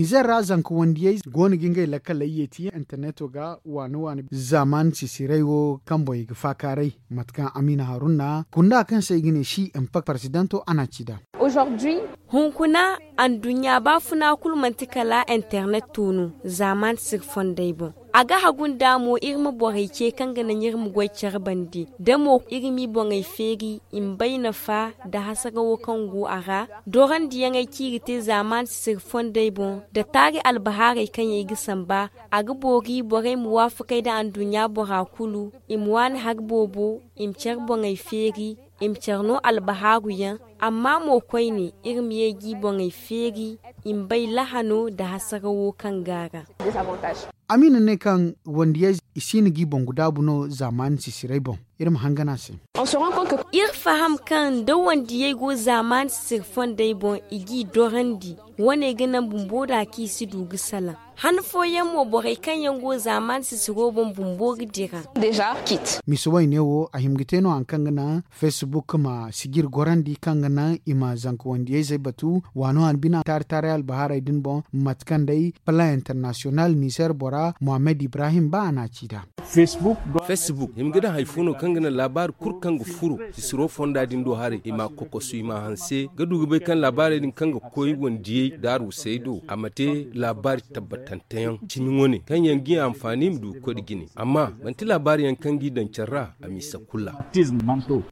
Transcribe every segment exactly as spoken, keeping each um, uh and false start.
Izer ra zanka wandiyey go no ga ngey lakkaley yeeti interneto ga waani waani zaaman sisiray wo kaŋ boŋ i ga faakaaray. Mate kaŋ amiina haruna kunda kaŋ se i ga ne si impact paresidanto a na a ci nd'a. Hunkuna anduɲɲa baafuna kulu manti kala internet to no zaaman sisiri fondey boŋ. A ga hagu nd'a mo iri ma borey ce kaŋ ga naŋ iri ma goy care bande da mo iri m'i boŋey feeri i ma bay nafa nda hasarawo kaŋ go a ra. Dorandiyaŋey kaŋ i ga te zaaman sisiri fondey boŋ nda taari albahaarey kaŋ yaŋ i ga samba. A ga boori borey ma waafakey nda anduɲɲa bora kulu i ma waani hari boobo i ma care boŋey feeri i ma care no albahaaru yaŋ. Amma mo koyne iri ma ye g'i boŋey feeri i ma bay lahano nda hasarawo kaŋ go a ra. Amiina ne kaŋ wandiyey i si hin g'i boŋ ga daabu no zaaman sisiray boŋ. Iri ma hangan a se. Iri faham kaŋ nda wandiyey go zaaman sisiri fondey boŋ i g'i dorandi. Wane ga naŋ bumbo da kaŋ i si du ga salaŋ. Han fooyaŋ mo borey kaŋ yaŋ go zaaman sisiro boŋ bumbo ga dira. Misa wayne wo a hima ga te no hari kaŋ ga naŋ facebook ma sijir gorandi kaŋ ga naŋ i ma zanka wandiyey zey batu waano han bina taari taaray albahaarey din boŋ. Mate kaŋ day plan international nizer bora mohammed ibrahim ba a na a ci nd'a. Facebook hima ga daŋ hari fo no kaŋ ga naŋ laabaari kulu kaŋ ga furo sisiro fonda din do haray i m'a kokosu i m'a hanse ga du ga bay kaŋ laabaarey din kaŋ ga koy wandiyey daaru say do a ma te laabaari tabbatanteyaŋ cimi wane kaŋ yaŋ g'i anfaani ma du ga koy nda jine amma manti laabaari yaŋ kaŋ g'i daŋ care ra a misa kulu ra.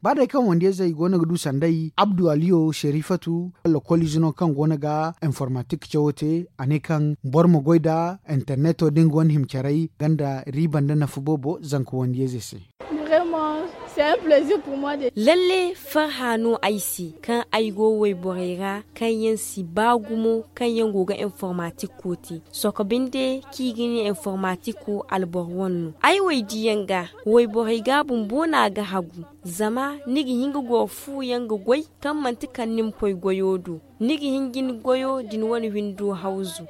Ba day kaŋ wandiyey zey go no ga du sanday abdu aliyo sherifatu, lokol ize no kaŋ go no ga informatik cawo te a ne kaŋ boro ma goy nda interneto da nga wane hima caray ganda riiba nda nafa boobo zanka wandiyey zey se. Lalle farha no ay se kaŋ ay go wayborey ra kaŋ yaŋ si ba gumo kaŋ yaŋ go ga informatik ko te. Sohõ binde kaŋ i ga ne informatik wo alboro wane no ay waydiyaŋ ga wayborey ga bumbo no a ga hagu. Zama ni ga hin ga goro fu yaŋ ga goy kaŋ manti kala ni ma koy goyo do ni ga hin ga ni goyo da ni wane windo hawzu.